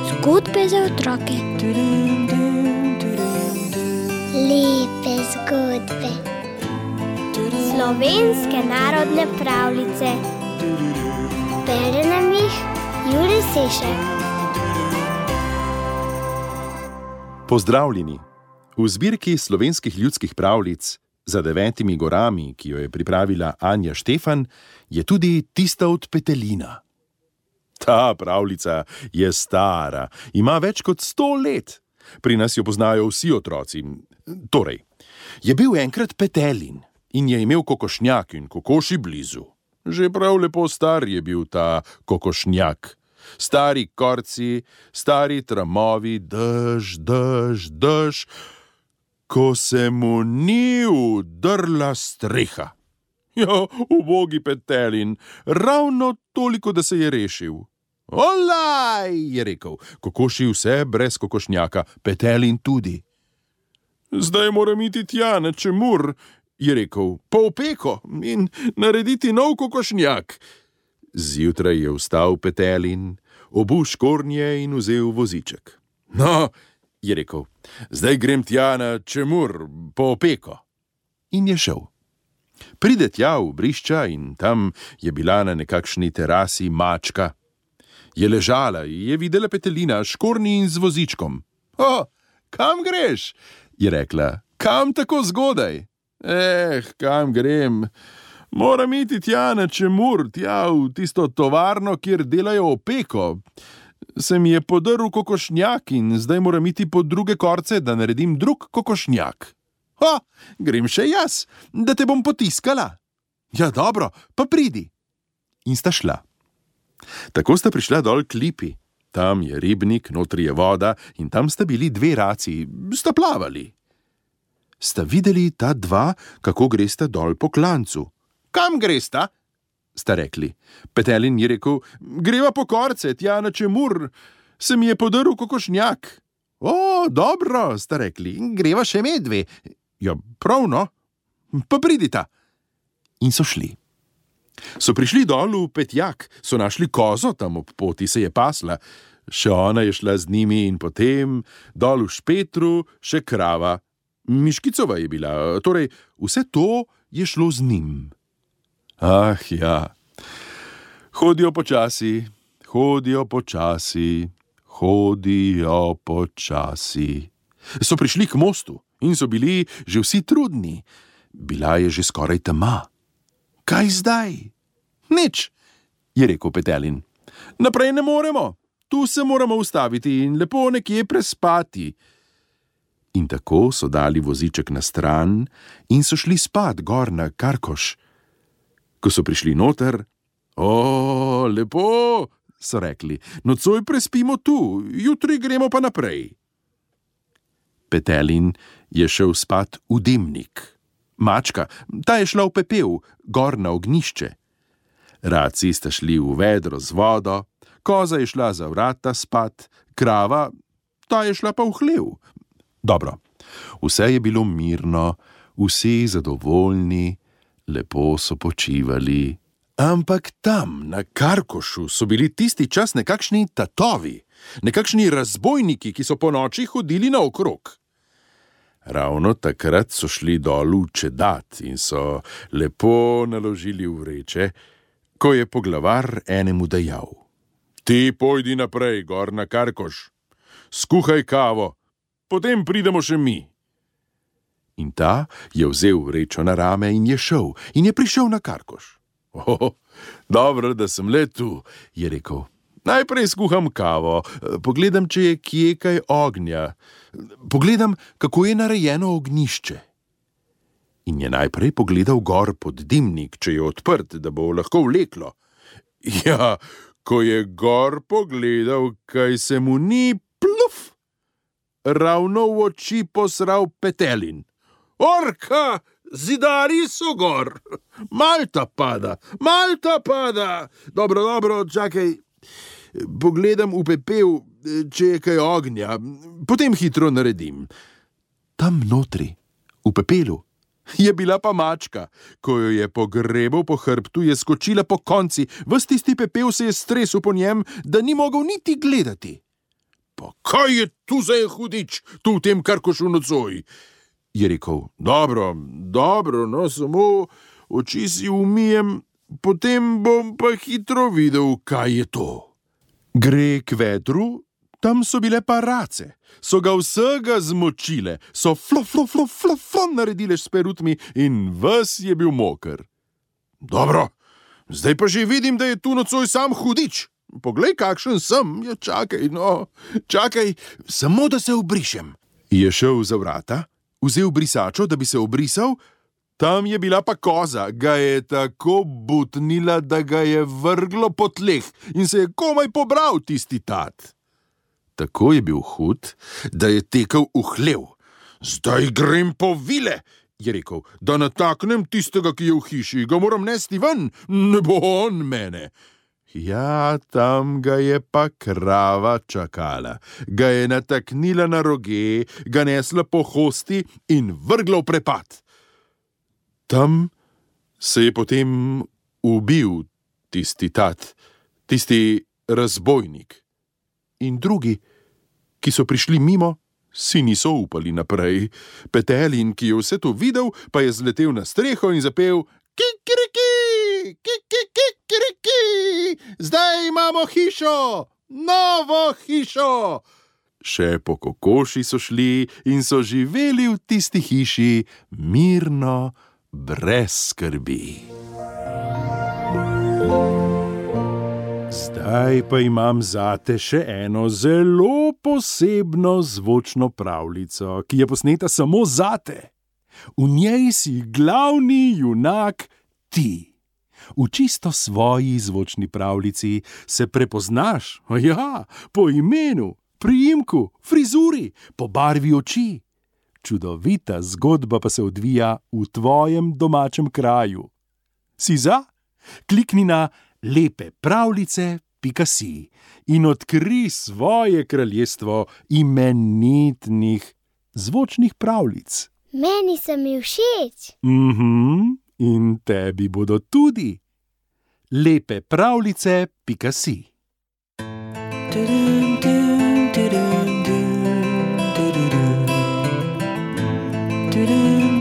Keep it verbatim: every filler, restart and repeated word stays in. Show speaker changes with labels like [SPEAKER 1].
[SPEAKER 1] Zgodbe za otroke.
[SPEAKER 2] Lepe zgodbe.
[SPEAKER 1] Slovenske narodne pravljice.
[SPEAKER 2] Bere nam jih Jurij Sešek.
[SPEAKER 3] Pozdravljeni! V zbirki slovenskih ljudskih pravljic Za devetimi gorami, ki jo je pripravila Anja Štefan, je tudi tista od petelina. Ta pravljica je stara, ima več kot sto let. Pri nas jo poznajo vsi otroci. Torej, je bil enkrat petelin in je imel kokošnjak in kokoši blizu. Že prav lepo star je bil ta kokošnjak. Stari korci, stari tramovi, dež, dež, dež, ko se mu ni udrla streha. Ja, ubogi petelin, ravno toliko, da se je rešil. Olaj, je rekel, kokoši vse brez kokošnjaka, petelin tudi. Zdaj moram iti tja na Čemur, je rekel, po opeko in narediti nov kokošnjak. Zjutraj je vstal petelin, obul škornje in vzel voziček. No, je rekel, zdaj grem tja na Čemur, po opeko. In je šel. Pride tja v brišča in tam je bila na nekakšni terasi mačka. Je ležala in je videla petelina s škornji in z vozičkom. O, kam greš? Je rekla, kam tako zgodaj? Eh, kam grem? Moram iti tja na Čemur, tja v tisto tovarno, kjer delajo opeko. Se mi je podrl kokošnjak in zdaj moram iti po druge korce, da naredim drug kokošnjak. Ha, grem še jaz, da te bom potiskala. Ja, dobro, pa pridi. In sta šla. Tako sta prišla dol k lipi. Tam je ribnik, notri je voda in tam sta bili dve raci, sta plavali. Sta videli ta dva, kako gresta dol po klancu. Kam gresta? Sta rekli. Petelin je rekel, greva po korce, tja na Čemur, se mi je podrl kokošnjak. O, dobro, sta rekli, greva še medve. Ja, pravno, pa pridita. In so šli. So prišli dol v Petjak, so našli kozo, tam ob poti se je pasla. Še ona je šla z njimi in potem dol v Špetru še krava. Miškicova je bila, torej vse to je šlo z njim. Ah, ja, hodijo počasi, hodijo počasi, hodijo počasi. So prišli k mostu in so bili že vsi trudni. Bila je že skoraj tema. Kaj zdaj? Nič, je rekel petelin. Naprej ne moremo, tu se moramo ustaviti in lepo nekje prespati. In tako so dali voziček na stran in so šli spat gor na Karkoš. Ko so prišli noter, o, lepo, so rekli, nocoj prespimo tu, jutri gremo pa naprej. Petelin je šel spat v dimnik. Mačka, ta je šla v pepel, gor na ognjišče. Raci sta šli v vedro z vodo, koza je šla za vrata spat, krava, ta je šla pa v hlev. Dobro, vse je bilo mirno, vsi zadovoljni, lepo so počivali. Ampak tam, na Karkošu, so bili tisti čas nekakšni tatovi, nekakšni razbojniki, ki so po noči hodili naokrog. Ravno takrat so šli dol v čedat in so lepo naložili vreče, ko je poglavar enemu dejal. Ti pojdi naprej, gor na Karkoš, skuhaj kavo, potem pridemo še mi. In ta je vzel vrečo na rame in je šel in je prišel na Karkoš. Oh, dobro, da sem le tu, je rekel. Najprej skuham kavo, pogledam, če je kje kaj ognja. Pogledam, kako je narejeno ognjišče. In je najprej pogledal gor pod dimnik, če je odprt, da bo lahko vleklo. Ja, ko je gor pogledal, kaj se mu ni, pluf, ravno v oči posral petelin. Orka, zidari so gor, Malta pada, Malta pada. Dobro, dobro, čakaj, pogledam v pepel, če je kaj ognja, potem hitro naredim. Tam notri, v pepelu, Je bila pa mačka. Ko jo je pogrebal po hrbtu, je skočila po konci, ves tisti pepel se je stresel po njem, da ni mogel niti gledati. Pa kaj je tu za en hudič, tu v tem karkošu nocoj? Je rekel, dobro, dobro, no, samo oči si umijem, potem bom pa hitro videl, kaj je to. Gre k vedru, tam so bile pa race, so ga vsega zmočile, so flo, flo, flo, flo, flo naredile s perutmi in ves je bil moker. Dobro, zdaj pa že vidim, da je tu nocoj sam hudič. Poglej, kakšen sem, ja čakaj, no, čakaj, samo da se obrišem. Je šel za vrata, vzel brisačo, da bi se obrisal, tam je bila pa koza, ga je tako butnila, da ga je vrglo po tleh in se je komaj pobral tisti tat. Tako je bil hud, da je tekel v hlev. Zdaj grem po vile, je rekel, da nataknem tistega, ki je v hiši, ga moram nesti ven, ne bo on mene. Ja, tam ga je pa krava čakala, ga je nataknila na roge, ga nesla po hosti in vrgla v prepad. Tam se je potem ubil tisti tat, tisti razbojnik. In drugi, ki so prišli mimo, si niso upali naprej. Petelin, ki je vse to videl, pa je zletel na streho in zapel kikiriki, kikiriki, zdaj imamo hišo, novo hišo. Še po kokoši so šli in so živeli v tisti hiši mirno, brez skrbi. Zdaj pa imam zate še eno zelo posebno zvočno pravljico, ki je posneta samo zate. V njej si glavni junak ti. V čisto svoji zvočni pravljici se prepoznaš, ja, po imenu, priimku, frizuri, po barvi oči. Čudovita zgodba pa se odvija v tvojem domačem kraju. Si za? Klikni na lepe pravljice pika si in odkri svoje kraljestvo imenitnih zvočnih pravljic.
[SPEAKER 2] Meni so mi všeč.
[SPEAKER 3] Mhm, in tebi bodo tudi. lepe pravljice pika si. Do-do-do, do-do-do, do-do-do. Do-do.